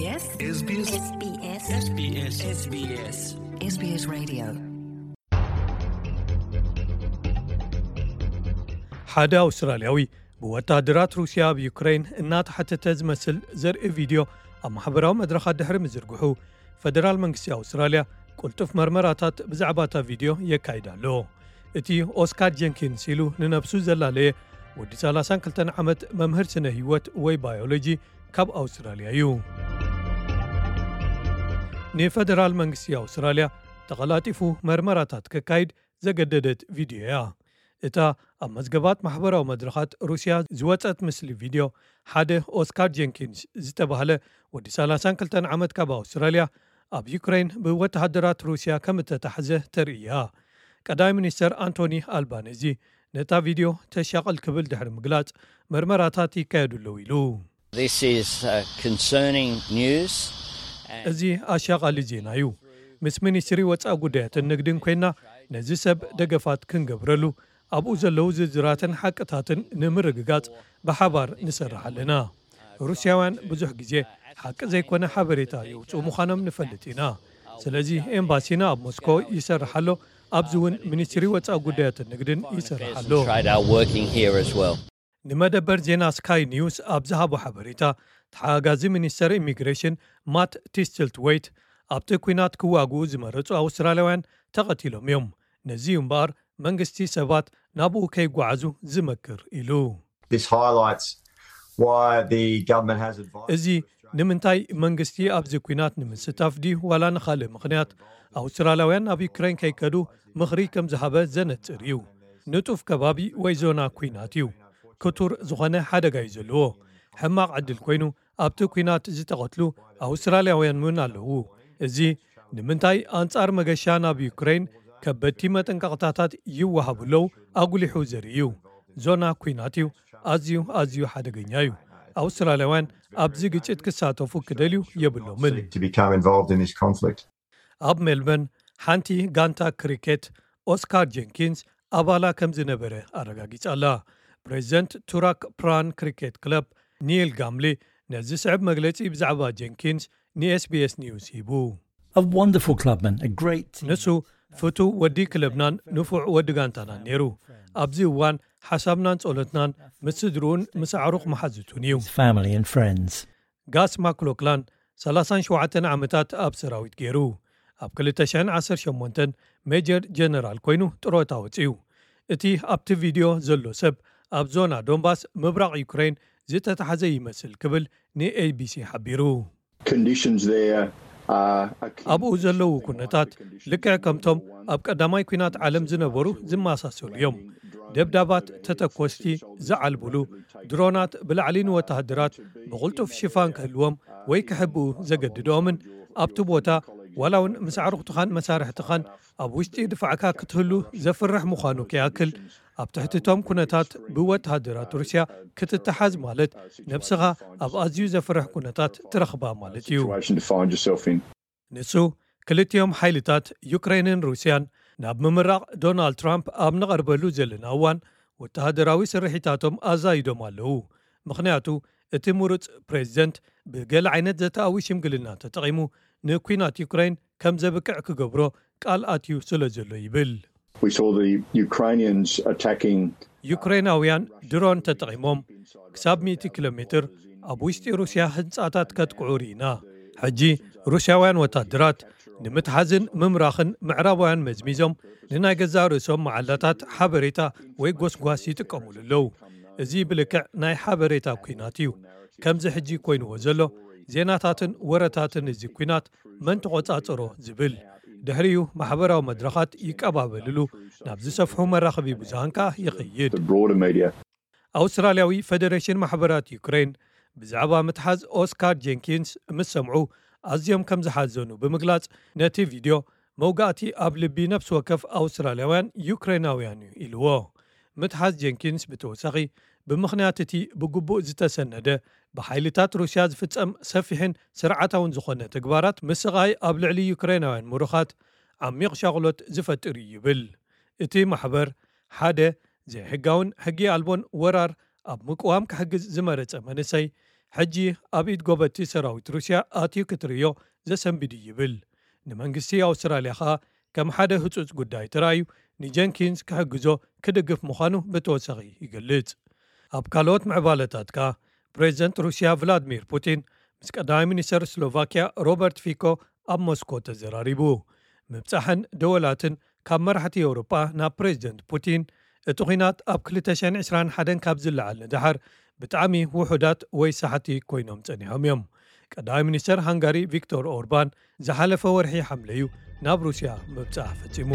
SBS SBS SBS SBS SBS Radio. ሓደ ኣውስትራልያዊ ብወታደራት ሩስያ ኣብ ዩክሬን እናተሓተተ ዝመስል ዘርኢ ቪድዮ ኣብ ማሕበራዊ መድረኻት ድሕሪ ምዝርግሑ፣ ፈደራል መንግስቲ ኣውስትራልያ ቅልጡፍ መርመራታት ብዛዕባ እታ ቪድዮ የካይድ ኣሎ። እቲ ኦስካር ጀንኪንስ ኢሉ ንነብሱ ዘላለየ ወዲ ሰላሳን ክልተን ዓመት መምህር ስነ ህይወት ወይ ባዮሎጂ ካብ ኣውስትራልያ እዩ። ንፈደራል መንግስቲ ኣውስትራልያ ተቐላጢፉ መርመራታት ከካይድ ዘገደደት ቪድዮ እያ። እታ ኣብ መዝገባት ማሕበራዊ መድረኻት ሩስያ ዝወጸት ምስሊ ቪድዮ፣ ሓደ ኦስካር ጀንኪንስ ዝተባህለ ወዲ ሰላሳን ክልተን ዓመት ካብ ኣውስትራልያ ኣብ ዩክሬን ብወተሃደራት ሩስያ ከም እተታሕዘ ተርእያ። ቀዳማይ ሚኒስተር ኣንቶኒ ኣልባነዚ ነታ ቪድዮ ተሻቕል ክብል ድሕሪ ምግላጽ፣ መርመራታት ይካየዱ ኣለዉ ኢሉ። This is uh, concerning news. እዚ ኣሻቓሊ ዜና እዩ። ምስ ሚኒስትሪ ወጻኢ ጉዳያትን ንግድን ኮይና ነዚ ሰብ ደገፋት ክንገብረሉ፣ ኣብኡ ዘለዉ ዝርዝራትን ሓቅታትን ንምርግጋጽ ብሓባር ንሰርሕ ኣለና። ሩስያውያን ብዙሕ ግዜ ሓቂ ዘይኮነ ሓበሬታ የውፅኡ ምዃኖም ንፈልጥ ኢና። ስለዚ ኤምባሲና ኣብ ሞስኮ ይሰርሕ ኣሎ። ኣብዚ እውን ሚኒስትሪ ወጻኢ ጉዳያትን ንግድን ይሰርሕ ኣሎ። Trade are working here as well. ንመደበር ዜና ስካይ ኒውስ ኣብ ዝሃቦ ሓበሬታ፣ ተሓጋጋዚ ሚኒስተር ኢሚግሬሽን ማት ቲስትልትወይት፣ ኣብቲ ኲናት ክዋግኡ ዝመረጹ ኣውስትራልያውያን ተቐቲሎም እዮም። ነዚ እዩ እምበኣር መንግስቲ ሰባት ናብኡ ከይጓዓዙ ዝመክር ኢሉ። This highlights why the government has advised. እዚ ንምንታይ መንግስቲ ኣብዚ ኲናት ንምስታፍ ድዩ ዋላ ንኻልእ ምኽንያት ኣውስትራልያውያን ናብ ዩክሬን ከይከዱ ምኽሪ ከም ዝሃበ ዘነጽር እዩ። ንጡፍ ከባቢ ወይ ዞና ኲናት እዩ። ክቱር ዝኾነ ሓደጋ እዩ ዘለዎ። ሕማቕ ዕድል ኮይኑ ኣብቲ ኲናት ዝተቐትሉ ኣውስትራልያውያን እውን ኣለዉ። እዚ ንምንታይ ኣንጻር መገሻ ናብ ዩክሬን ከበድቲ መጠንቀቕታታት ይወሃቡ ኣለዉ ኣጉሊሑ ዘርኢ እዩ። ዞና ኲናት እዩ። ኣዝዩ ኣዝዩ ሓደገኛ እዩ። ኣውስትራልያውያን ኣብዚ ግጭት ክሳተፉ ክደልዩ የብሎምን። To become involved in this conflict. ኣብ ሜልበርን ሓንቲ ጋንታ ክሪኬት ኦስካር ጀንኪንስ ኣባላ ከም ዝነበረ ኣረጋጊጻ ኣላ። ፕሬዚደንት ቱራክ ፕራን ክሪኬት ክለብ ኒል ጋምሊ ነዚ ስዕብ መግለጺ ብዛዕባ ጀንኪንስ ንኤስቢኤስ ኒውስ ሂቡ። A wonderful clubman, a great team. ንሱ ፍቱው ወዲ ክለብናን ንፉዕ ወዲ ጋንታናን ነይሩ። ኣብዚ እዋን ሓሳብናን ጸሎትናን ምስ ስድርኡን ምስ ኣዕሩኽ መሓዙቱን እዩ። His family and friends. ጋስ ማክሎክላን ሰላሳን ሸውዓተን ዓመታት ኣብ ሰራዊት ገይሩ። ኣብ ክልተ ሽሕን ዓሰርተ ሸሞንተን ሜጀር ጀነራል ኮይኑ ጥሮታ ወፅዩ። እቲ ኣብቲ ቪድዮ ዘሎ ሰብ ኣብ ዞና ዶንባስ ምብራቕ ዩክሬን ዝተታሕዘ ይመስል ክብል ንኤቢሲ ሓቢሩ። Conditions there are akin ኣብኡ ዘለዉ ኩነታት ልክዕ ከምቶም ኣብ ቀዳማይ ኲናት ዓለም ዝነበሩ ዝመሳሰሉ እዮም። ደብዳባት፣ ተተኮስቲ ዝዓልቡሉ ድሮናት ብላዕሊ ንወተሃደራት ብቕልጡፍ ሽፋን ክህልዎም ወይ ክሕብኡ ዘገድድኦምን ኣብቲ ቦታ ዋላ እውን ምስ ኣዕሩኽትኻን መሳርሕትኻን ኣብ ውሽጢ ድፋዕካ ክትህሉ ዘፍርሕ ምዃኑ ከይኣክል፣ ኣብ ትሕቲ እቶም ኩነታት ብወተሃደራት ሩስያ ክትተሓዝ ማለት ነብስኻ ኣብ ኣዝዩ ዘፍርሕ ኩነታት ትረኽባ ማለት እዩ። Situation to find yourself in. ንሱ ክልቲኦም ሓይልታት ዩክሬንን ሩስያን ናብ ምምራቕ ዶናልድ ትራምፕ ኣብ ንቐርበሉ ዘለና እዋን ወተሃደራዊ ስርሒታቶም ኣዛይዶም ኣለዉ። ምኽንያቱ እቲ ምሩፅ ፕሬዚደንት ብገለ ዓይነት ዘተኣዊ ሽምግልና ተጠቒሙ ንኲናት ዩክሬን ከም ዘብቅዕ ክገብሮ ቃል ኣትዩ ስለ ዘሎ ይብል። We saw the Ukrainians attacking ዩክሬናውያን ድሮን ተጠቒሞም ክሳብ ሚእቲ ኪሎ ሜትር ኣብ ውሽጢ ሩስያ ህንጻታት ከጥቅዑ ርኢና። ሕጂ ሩስያውያን ወታደራት ንምትሓዝን ምምራኽን ምዕራባውያን መዝሚዞም ንናይ ገዛእ ርእሶም መዓላታት ሓበሬታ ወይ ጎስጓስ ይጥቀሙሉ ኣለዉ። እዚ ብልክዕ ናይ ሓበሬታ ኲናት እዩ። ከምዚ ሕጂ ኮይንዎ ዘሎ ዜናታትን ወረታትን እዚ ኲናት መን ተቖጻጸሮ ዝብል። ድሕሪኡ ማሕበራዊ መድረኻት ይቀባበልሉ፣ ናብ ዝሰፍሑ መራኸቢ ብዙሃን ከኣ ይኸይድ። the broader media. ኣውስትራልያዊ ፈደሬሽን ማሕበራት ዩክሬን ብዛዕባ ምትሓዝ ኦስካር ጀንኪንስ ምስ ሰምዑ ኣዝዮም ከም ዝሓዘኑ ብምግላጽ፣ ነቲ ቪድዮ መውጋእቲ ኣብ ልቢ ነፍሲ ወከፍ ኣውስትራልያውያን ዩክሬናውያን እዩ ኢልዎ። ምትሓዝ ጀንኪንስ ብተወሳኺ ብምኽንያት እቲ ብግቡእ ዝተሰነደ ብሓይልታት ሩስያ ዝፍጸም ሰፊሕን ስርዓታውን ዝኾነ ተግባራት ምስቓይ ኣብ ልዕሊ ዩክሬናውያን ምሩኻት ዓሚቕ ሻቕሎት ዝፈጥር እዩ ይብል። እቲ ማሕበር ሓደ ዘይሕጋውን ሕጊ ኣልቦን ወራር ኣብ ምቅዋም ክሕግዝ ዝመረጸ መንእሰይ ሕጂ ኣብ ኢድ ጎበቲ ሰራዊት ሩስያ ኣትዩ ክትርእዮ ዘሰንብድ እዩ ይብል። ንመንግስቲ ኣውስትራልያ ኸኣ ከም ሓደ ህጹጽ ጉዳይ ተራእዩ ንጀንኪንስ ክሕግዞ ክድግፍ ምዃኑ ብተወሳኺ ይገልጽ። ኣብ ካልኦት ምዕባለታት ከኣ ፕሬዚደንት ሩስያ ቭላድሚር ፑቲን ምስ ቀዳማይ ሚኒስተር ስሎቫኪያ ሮበርት ፊኮ ኣብ ሞስኮ ተዘራሪቡ። ምብጻሕን ደወላትን ካብ መራሕቲ ኤውሮጳ ናብ ፕሬዚደንት ፑቲን እቲ ኲናት ኣብ ክልተ ሽሕን ዕስራን ሓደን ካብ ዝለዓል ንደሓር ብጣዕሚ ውሑዳት ወይ ሳሕቲ ኮይኖም ጸኒሖም እዮም። ቀዳማይ ሚኒስተር ሃንጋሪ ቪክቶር ኦርባን ዝሓለፈ ወርሒ ሓምለ እዩ ናብ ሩስያ ምብጻሕ ፈጺሙ።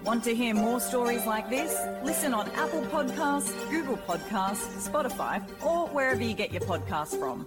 Want to hear more stories like this? Listen on Apple Podcasts, Google Podcasts, Spotify, or wherever you get your podcasts from.